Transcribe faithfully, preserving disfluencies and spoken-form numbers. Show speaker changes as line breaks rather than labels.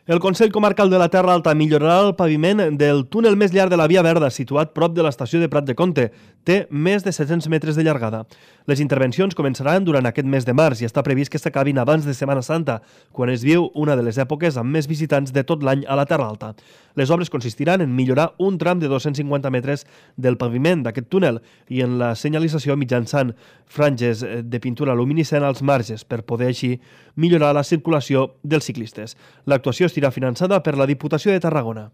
El Consell Comarcal de la Terra Alta millorarà el paviment del túnel més llarg de la Via Verda, situat prop de l'estació de Prat de Comte. Té més de set-cents metres de llargada. Les intervencions començaran durant aquest mes de març i està previst que s'acabin abans de Setmana Santa, quan es viu una de les èpoques amb més visitants de tot l'any a la Terra Alta. Les obres consistiran en millorar un tram de dos-cents cinquanta metres del paviment d'aquest túnel i en la senyalització mitjançant franges de pintura luminescent als marges per poder així millorar la circulació dels ciclistes. L'actuació estarà finançada per la Diputació de Tarragona.